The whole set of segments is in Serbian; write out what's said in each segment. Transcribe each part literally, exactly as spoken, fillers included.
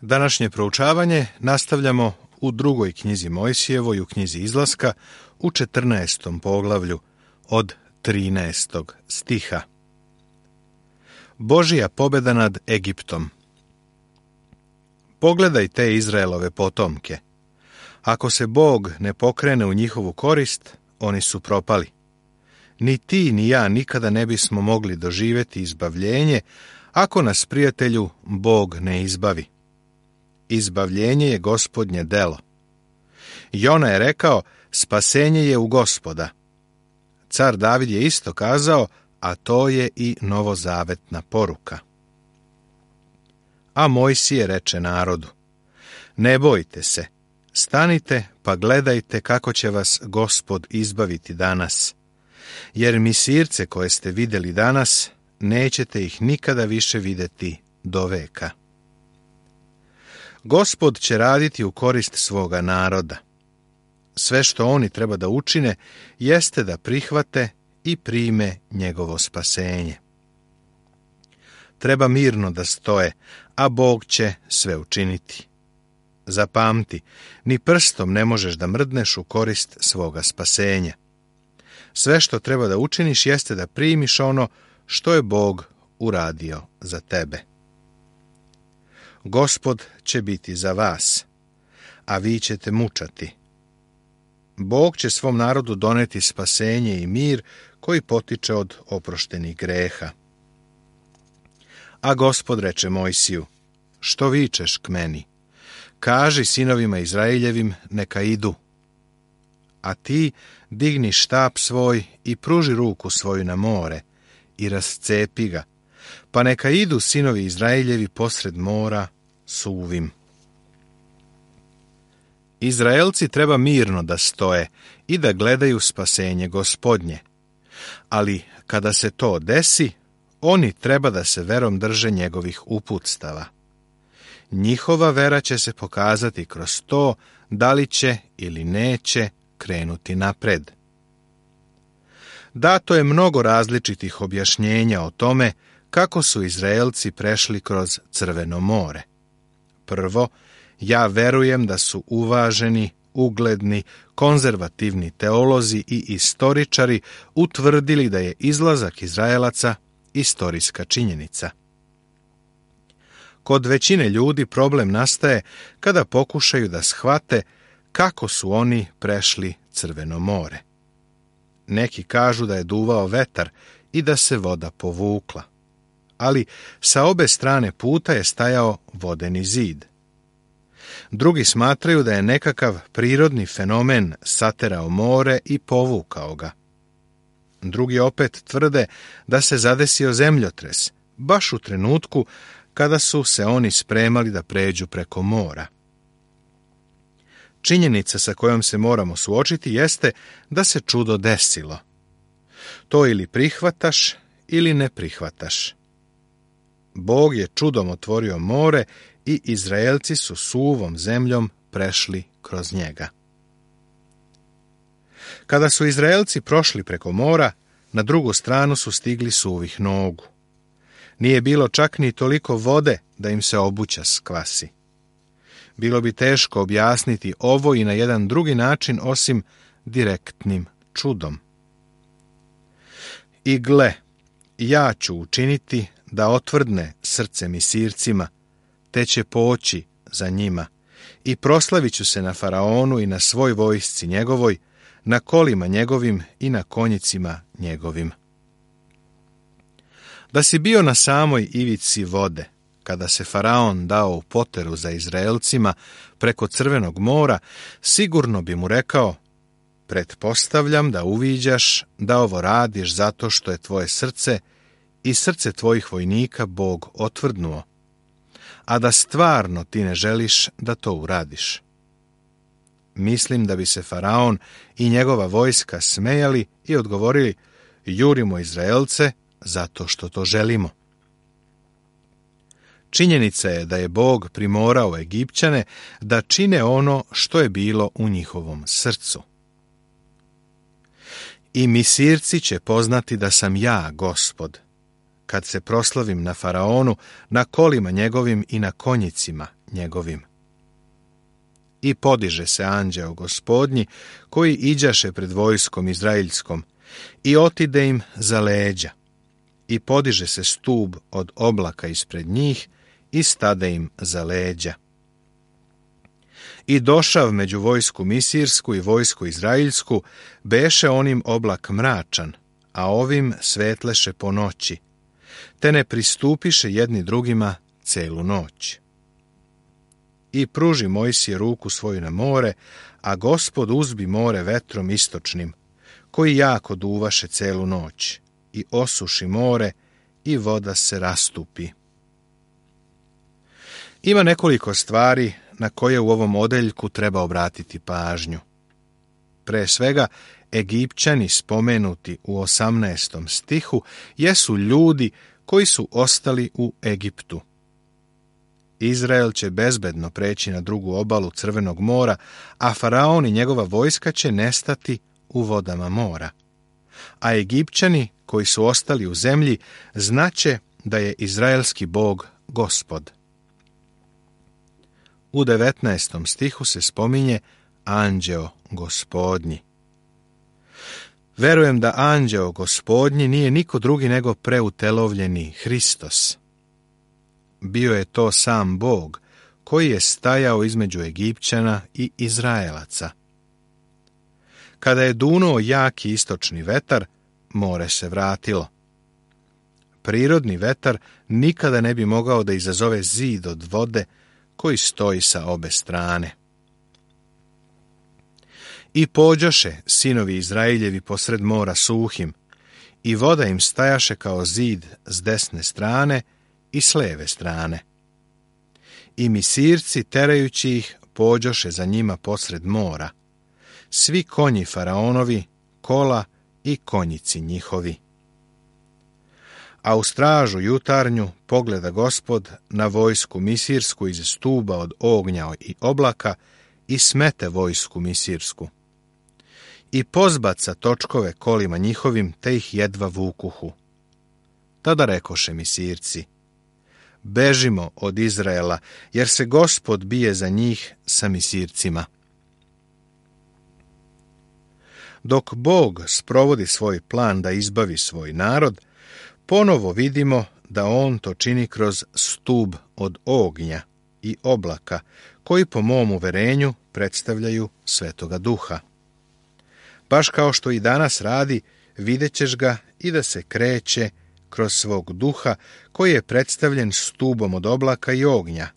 Današnje proučavanje nastavljamo u drugoj knjizi Mojsijevoj, u knjizi Izlaska, u četrnaestom poglavlju od trinaestog stiha. Božija pobjeda nad Egiptom. Pogledaj te Izraelove potomke. Ako se Bog ne pokrene u njihovu korist, oni su propali. Ni ti ni ja nikada ne bismo mogli doživjeti izbavljenje ako nas, prijatelju, Bog ne izbavi. Izbavljenje je Gospodnje delo. Jona je rekao, spasenje je u Gospoda. Car David je isto kazao, a to je i novozavetna poruka. A Mojsije reče narodu, ne bojte se, stanite pa gledajte kako će vas Gospod izbaviti danas, jer Misirce koje ste vidjeli danas, nećete ih nikada više vidjeti do veka. Gospod će raditi u korist svoga naroda. Sve što oni treba da učine, jeste da prihvate i prime njegovo spasenje. Treba mirno da stoje, a Bog će sve učiniti. Zapamti, ni prstom ne možeš da mrdneš u korist svoga spasenja. Sve što treba da učiniš jeste da primiš ono što je Bog uradio za tebe. Gospod će biti za vas, a vi ćete mučati. Bog će svom narodu doneti spasenje i mir koji potiče od oproštenih greha. A Gospod reče Mojsiju, što vičeš k meni? Kaži sinovima Izraeljevim, neka idu. A ti digni štap svoj i pruži ruku svoju na more i rascepi ga, pa neka idu sinovi Izraeljevi posred mora suvim. Izraelci treba mirno da stoje i da gledaju spasenje Gospodnje, ali kada se to desi, oni treba da se verom drže njegovih uputstava. Njihova vera će se pokazati kroz to da li će ili neće krenuti napred. Dato je mnogo različitih objašnjenja o tome kako su Izraelci prešli kroz Crveno more. Prvo, ja verujem da su uvaženi, ugledni, konzervativni teolozi i istoričari utvrdili da je izlazak Izraelaca istorijska činjenica. Kod većine ljudi problem nastaje kada pokušaju da shvate kako su oni prešli Crveno more. Neki kažu da je duvao vetar i da se voda povukla, ali sa obe strane puta je stajao vodeni zid. Drugi smatraju da je nekakav prirodni fenomen saterao more i povukao ga. Drugi opet tvrde da se zadesio zemljotres, baš u trenutku kada su se oni spremali da pređu preko mora. Činjenica sa kojom se moramo suočiti jeste da se čudo desilo. To ili prihvataš ili ne prihvataš. Bog je čudom otvorio more i Izraelci su suvom zemljom prešli kroz njega. Kada su Izraelci prošli preko mora, na drugu stranu su stigli suvih nogu. Nije bilo čak ni toliko vode da im se obuća skvasi. Bilo bi teško objasniti ovo i na jedan drugi način osim direktnim čudom. I gle, ja ću učiniti da otvrdne srce Misircima, te će poći za njima i proslavit ću se na faraonu i na svoj vojsci njegovoj, na kolima njegovim i na konjicima njegovim. Da si bio na samoj ivici vode, kada se faraon dao u poteru za Izraelcima preko Crvenog mora, sigurno bi mu rekao, pretpostavljam da uviđaš da ovo radiš zato što je tvoje srce i srce tvojih vojnika Bog otvrdnuo, a da stvarno ti ne želiš da to uradiš. Mislim da bi se faraon i njegova vojska smejali i odgovorili, jurimo Izraelce zato što to želimo. Činjenica je da je Bog primorao Egipćane da čine ono što je bilo u njihovom srcu. I Misirci će poznati da sam ja, Gospod, kad se proslavim na faraonu, na kolima njegovim i na konjicima njegovim. I podiže se anđeo Gospodnji, koji iđaše pred vojskom izraeljskom, i otide im za leđa. I podiže se stub od oblaka ispred njih, i stade im za leđa. I došav među vojsku misirsku i vojsku izraeljsku, beše onim oblak mračan, a ovim svetleše po noći, te ne pristupiše jedni drugima celu noć. I pruži Mojsije ruku svoju na more, a Gospod uzbi more vetrom istočnim, koji jako duvaše celu noć, i osuši more, i voda se rastupi. Ima nekoliko stvari na koje u ovom odeljku treba obratiti pažnju. Pre svega, Egipćani spomenuti u osamnaestom stihu jesu ljudi koji su ostali u Egiptu. Izrael će bezbedno preći na drugu obalu Crvenog mora, a faraon i njegova vojska će nestati u vodama mora. A Egipćani koji su ostali u zemlji znaće da je izraelski Bog Gospod. U devetnaestom stihu se spominje anđeo Gospodnji. Verujem da anđeo Gospodnji nije niko drugi nego preutelovljeni Hristos. Bio je to sam Bog, koji je stajao između Egipćana i Izraelaca. Kada je dunuo jaki istočni vetar, more se vratilo. Prirodni vetar nikada ne bi mogao da izazove zid od vode koji stoji sa obe strane. I pođoše sinovi Izraeljevi posred mora suhim, i voda im stajaše kao zid s desne strane i s leve strane. I misirci, terajući ih, pođoše za njima posred mora, svi konji faraonovi, kola i konjici njihovi. A u stražu jutarnju pogleda Gospod na vojsku misirsku iz stuba od ognja i oblaka i smete vojsku misirsku. I pozbaca točkove kolima njihovim, te ih jedva vukuhu. Tada rekoše misirci: bežimo od Izraela, jer se Gospod bije za njih sa misircima. Dok Bog sprovodi svoj plan da izbavi svoj narod, ponovo vidimo da on to čini kroz stub od ognja i oblaka, koji po mom uverenju predstavljaju Svetoga Duha. Baš kao što i danas radi, vidjet ćeš ga i da se kreće kroz svog duha, koji je predstavljen stubom od oblaka i ognja.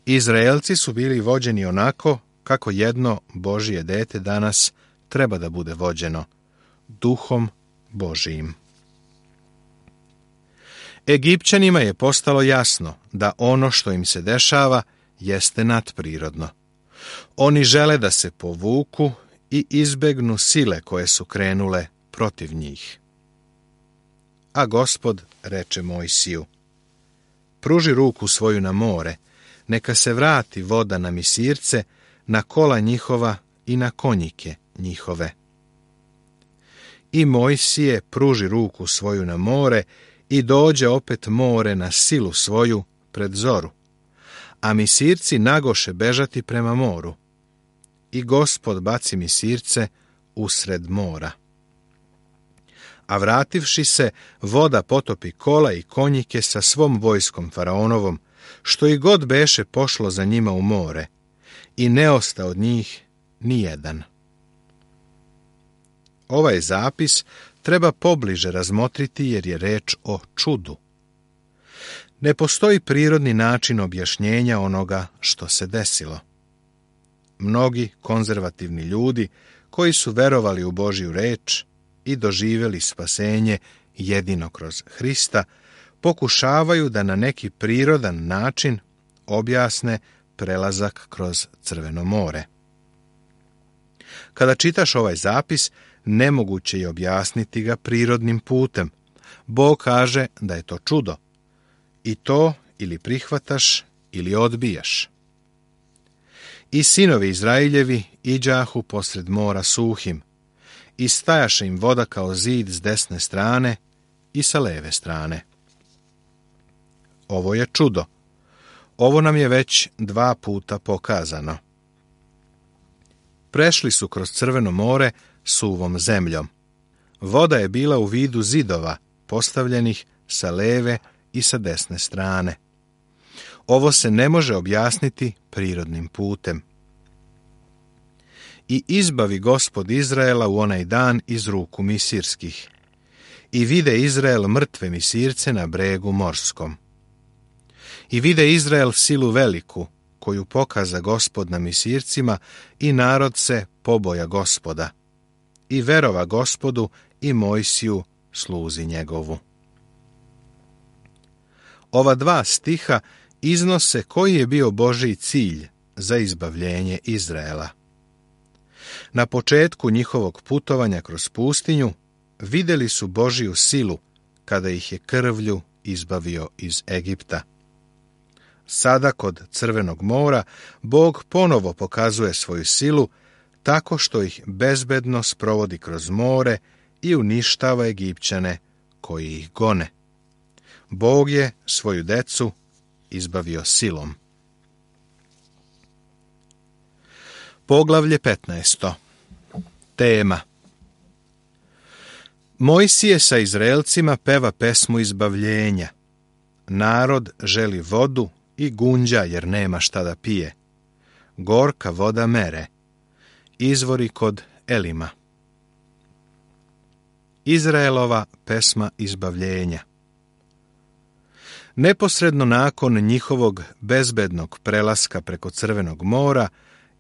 Izraelci su bili vođeni onako kako jedno Božije dete danas treba da bude vođeno, Duhom Božijim. Egipćanima je postalo jasno da ono što im se dešava jeste nadprirodno. Oni žele da se povuku i izbegnu sile koje su krenule protiv njih. A Gospod reče Mojsiju: pruži ruku svoju na more, neka se vrati voda na misirce, na kola njihova i na konjike njihove. I Mojsije pruži ruku svoju na more, i dođe opet more na silu svoju pred zoru, a misirci nagoše bežati prema moru. I Gospod baci misirce usred mora. A vrativši se, voda potopi kola i konjike sa svom vojskom faraonovom, što i god beše pošlo za njima u more, i ne osta od njih ni jedan. Ovaj zapis treba pobliže razmotriti jer je reč o čudu. Ne postoji prirodni način objašnjenja onoga što se desilo. Mnogi konzervativni ljudi koji su verovali u Božju reč i doživjeli spasenje jedino kroz Hrista, pokušavaju da na neki prirodan način objasne prelazak kroz Crveno more. Kada čitaš ovaj zapis, nemoguće je objasniti ga prirodnim putem. Bog kaže da je to čudo. I to ili prihvataš ili odbijaš. I sinovi Izraeljevi iđahu posred mora suhim, i stajaše im voda kao zid s desne strane i sa leve strane. Ovo je čudo. Ovo nam je već dva puta pokazano. Prešli su kroz Crveno more suvom zemljom. Voda je bila u vidu zidova, postavljenih sa leve i sa desne strane. Ovo se ne može objasniti prirodnim putem. I izbavi Gospod Izraela u onaj dan iz ruku misirskih. I vide Izrael mrtve misirce na bregu morskom. I vide Izrael silu veliku, koju pokaza Gospod na misircima, i narod se poboja Gospoda. I verova Gospodu i Mojsiju, sluzi njegovu. Ova dva stiha iznose koji je bio Božji cilj za izbavljenje Izraela. Na početku njihovog putovanja kroz pustinju vidjeli su Božju silu kada ih je krvlju izbavio iz Egipta. Sada kod Crvenog mora Bog ponovo pokazuje svoju silu tako što ih bezbedno sprovodi kroz more i uništava Egipćane koji ih gone. Bog je svoju decu izbavio silom. Poglavlje petnaesto. Tema. Mojsije sa Izraelcima peva pesmu izbavljenja. Narod želi vodu i gunđa jer nema šta da pije. Gorka voda mere. Izvori kod Elima. Izraelova pesma izbavljenja. Neposredno nakon njihovog bezbednog prelaska preko Crvenog mora,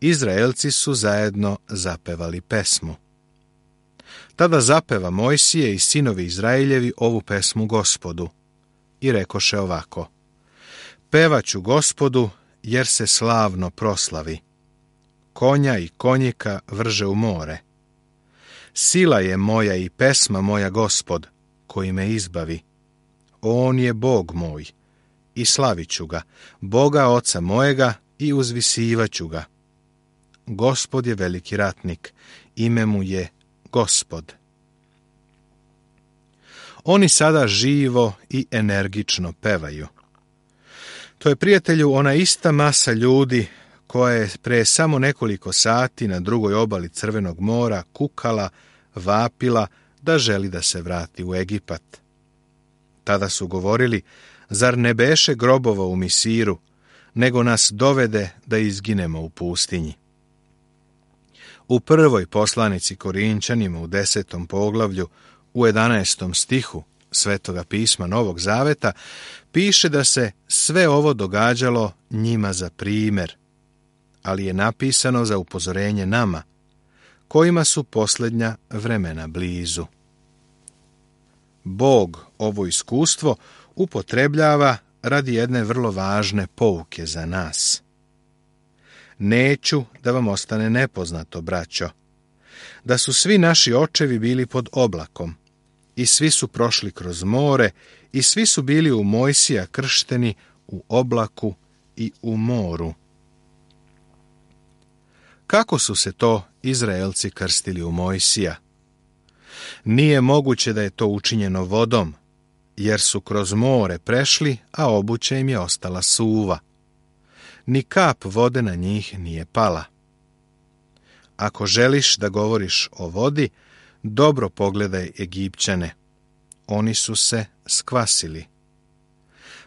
Izraelci su zajedno zapevali pesmu. Tada zapeva Mojsije i sinovi Izraeljevi ovu pesmu Gospodu i rekoše ovako: Pevaću Gospodu, jer se slavno proslavi. Konja i konjika vrže u more. Sila je moja i pesma moja Gospod, koji me izbavi. On je Bog moj i slavit ću ga, Boga oca mojega i uzvisivaću ga. Gospod je veliki ratnik, ime mu je Gospod. Oni sada živo i energično pevaju. To je, prijatelju, ona ista masa ljudi koja je pre samo nekoliko sati na drugoj obali Crvenog mora kukala, vapila da želi da se vrati u Egipat. Tada su govorili: zar ne beše grobova u Misiru, nego nas dovede da izginemo u pustinji. U prvoj poslanici Korinčanima u desetom poglavlju u jedanaestom stihu Svetoga pisma Novog Zaveta piše da se sve ovo događalo njima za primjer, ali je napisano za upozorenje nama, kojima su posljednja vremena blizu. Bog ovo iskustvo upotrebljava radi jedne vrlo važne pouke za nas. Neću da vam ostane nepoznato, braćo, da su svi naši očevi bili pod oblakom i svi su prošli kroz more i svi su bili u Mojsija kršteni u oblaku i u moru. Kako su se to Izraelci krstili u Mojsija? Nije moguće da je to učinjeno vodom, jer su kroz more prešli, a obuća im je ostala suva. Ni kap vode na njih nije pala. Ako želiš da govoriš o vodi, dobro pogledaj Egipćane. Oni su se skvasili.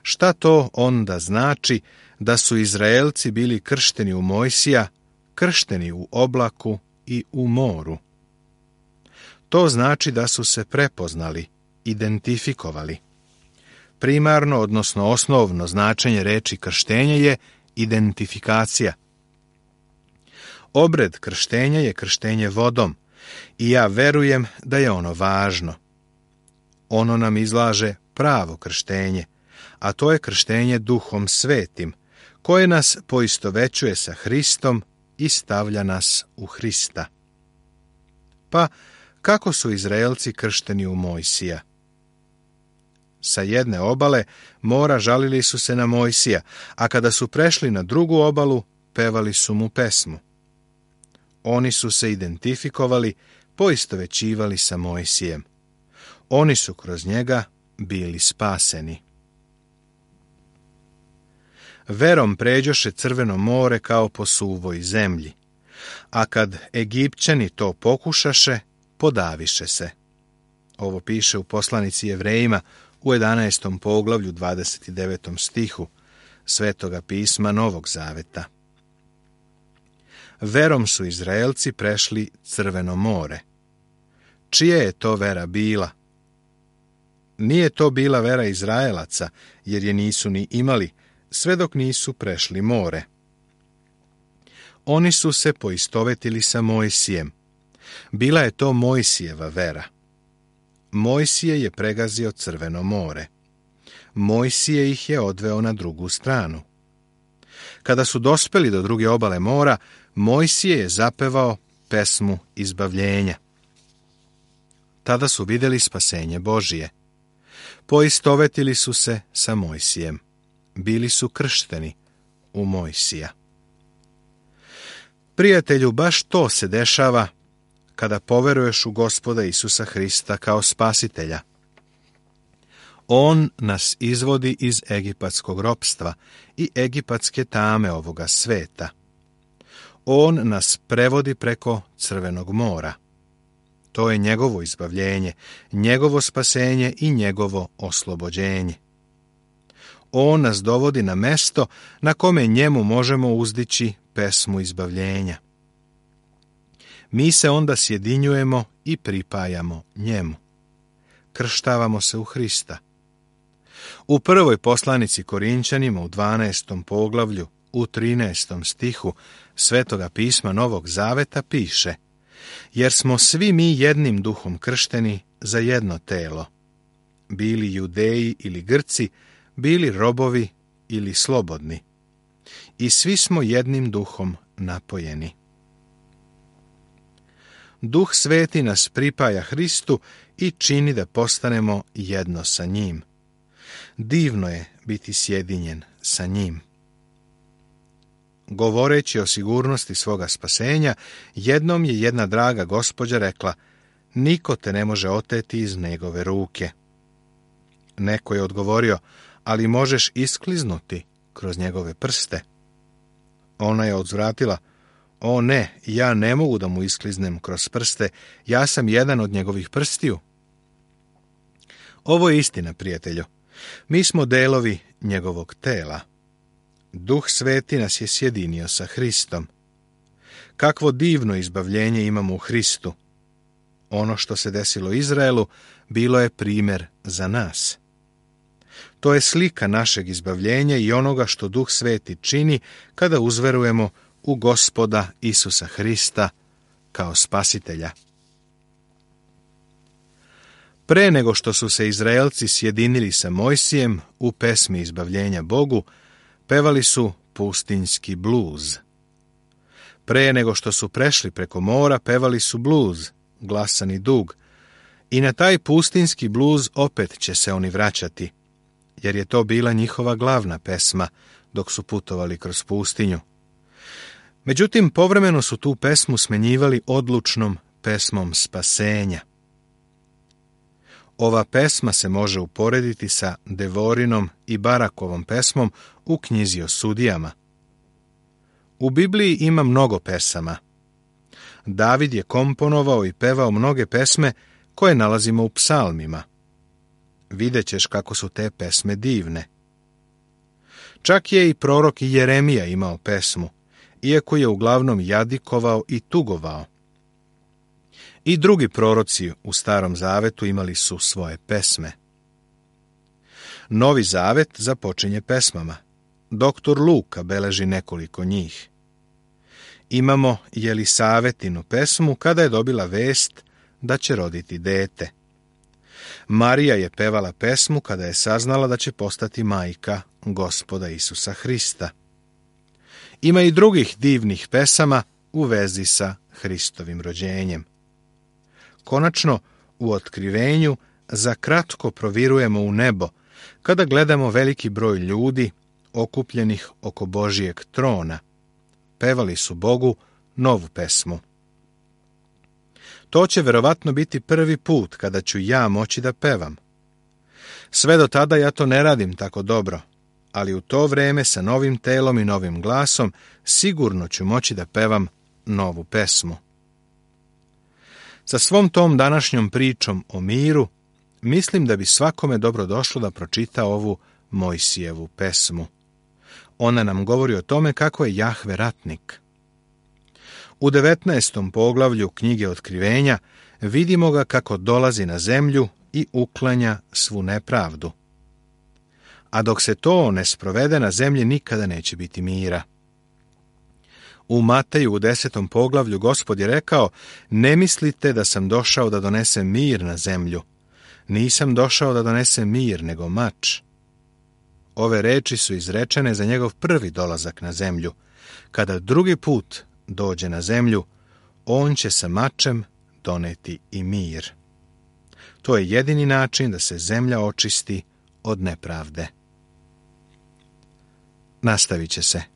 Šta to onda znači da su Izraelci bili kršteni u Mojsija, kršteni u oblaku i u moru? To znači da su se prepoznali, identifikovali. Primarno, odnosno osnovno značenje reči krštenje je identifikacija. Obred krštenja je krštenje vodom i ja verujem da je ono važno. Ono nam izlaže pravo krštenje, a to je krštenje Duhom Svetim, koje nas poistovećuje sa Hristom i stavlja nas u Hrista. Pa, kako su Izraelci kršteni u Mojsija? Sa jedne obale mora žalili su se na Mojsija, a kada su prešli na drugu obalu, pevali su mu pesmu. Oni su se identifikovali, poistovećivali sa Mojsijem. Oni su kroz njega bili spaseni. Verom pređoše Crveno more kao po suvoj zemlji, a kad Egipćani to pokušaše, podaviše se. Ovo piše u poslanici Jevrejima u jedanaestom poglavlju dvadeset devetom stihu Svetoga pisma Novog Zaveta. Verom su Izraelci prešli Crveno more. Čija je to vera bila? Nije to bila vera Izraelaca, jer je nisu ni imali, sve dok nisu prešli more. Oni su se poistovetili sa Mojsijem. Bila je to Mojsijeva vera. Mojsije je pregazio Crveno more. Mojsije ih je odveo na drugu stranu. Kada su dospeli do druge obale mora, Mojsije je zapevao pesmu izbavljenja. Tada su vidjeli spasenje Božije. Poistovetili su se sa Mojsijem. Bili su kršteni u Mojsija. Prijatelju, baš to se dešava kada poveruješ u Gospoda Isusa Hrista kao spasitelja. On nas izvodi iz egipatskog ropstva i egipatske tame ovoga sveta. On nas prevodi preko Crvenog mora. To je njegovo izbavljenje, njegovo spasenje i njegovo oslobođenje. On nas dovodi na mesto na kome njemu možemo uzdići pesmu izbavljenja. Mi se onda sjedinjujemo i pripajamo njemu. Krštavamo se u Hrista. U prvoj poslanici Korinćanima u dvanaestom poglavlju u trinaestom stihu Svetoga pisma Novog Zaveta piše: jer smo svi mi jednim duhom kršteni za jedno telo, bili Judeji ili Grci, bili robovi ili slobodni, i svi smo jednim duhom napojeni. Duh Sveti nas pripaja Hristu i čini da postanemo jedno sa njim. Divno je biti sjedinjen sa njim. Govoreći o sigurnosti svoga spasenja, jednom je jedna draga gospođa rekla: niko te ne može oteti iz njegove ruke. Neko je odgovorio: ali možeš iskliznuti kroz njegove prste. Ona je odzvratila: o ne, ja ne mogu da mu iskliznem kroz prste, ja sam jedan od njegovih prstiju. Ovo je istina, prijatelju. Mi smo delovi njegovog tela. Duh Sveti nas je sjedinio sa Hristom. Kakvo divno izbavljenje imamo u Hristu. Ono što se desilo Izraelu bilo je primjer za nas. To je slika našeg izbavljenja i onoga što Duh Sveti čini kada uzverujemo u Gospoda Isusa Hrista kao spasitelja. Pre nego što su se Izraelci sjedinili sa Mojsijem u pesmi izbavljenja Bogu, pevali su pustinjski bluz. Pre nego što su prešli preko mora, pevali su bluz, glasan i dug, i na taj pustinjski bluz opet će se oni vraćati, jer je to bila njihova glavna pesma dok su putovali kroz pustinju. Međutim, povremeno su tu pesmu smenjivali odlučnom pesmom spasenja. Ova pesma se može uporediti sa Devorinom i Barakovom pesmom u knjizi o sudijama. U Bibliji ima mnogo pesama. David je komponovao i pevao mnoge pesme koje nalazimo u psalmima. Vidjet ćeš kako su te pesme divne. Čak je i prorok Jeremija imao pesmu, iako je uglavnom jadikovao i tugovao. I drugi proroci u Starom Zavetu imali su svoje pesme. Novi Zavet započinje pesmama. Doktor Luka beleži nekoliko njih. Imamo Jelisavetinu pesmu kada je dobila vest da će roditi dete. Marija je pevala pesmu kada je saznala da će postati majka Gospoda Isusa Hrista. Ima i drugih divnih pesama u vezi sa Hristovim rođenjem. Konačno, u otkrivenju za kratko provirujemo u nebo kada gledamo veliki broj ljudi okupljenih oko Božijeg trona. Pevali su Bogu novu pesmu. To će verovatno biti prvi put kada ću ja moći da pevam. Sve do tada ja to ne radim tako dobro, ali u to vrijeme sa novim telom i novim glasom sigurno ću moći da pevam novu pesmu. Sa svom tom današnjom pričom o miru, mislim da bi svakome dobro došlo da pročita ovu Mojsijevu pesmu. Ona nam govori o tome kako je Jahve ratnik. U devetnaestom poglavlju knjige Otkrivenja vidimo ga kako dolazi na zemlju i uklanja svu nepravdu. A dok se to ne sprovede, na zemlji nikada neće biti mira. U Mateju u desetom poglavlju Gospod je rekao: ne mislite da sam došao da donesem mir na zemlju. Nisam došao da donesem mir, nego mač. Ove reči su izrečene za njegov prvi dolazak na zemlju. Kada drugi put dođe na zemlju, on će sa mačem doneti i mir. To je jedini način da se zemlja očisti od nepravde. Nastavit će se.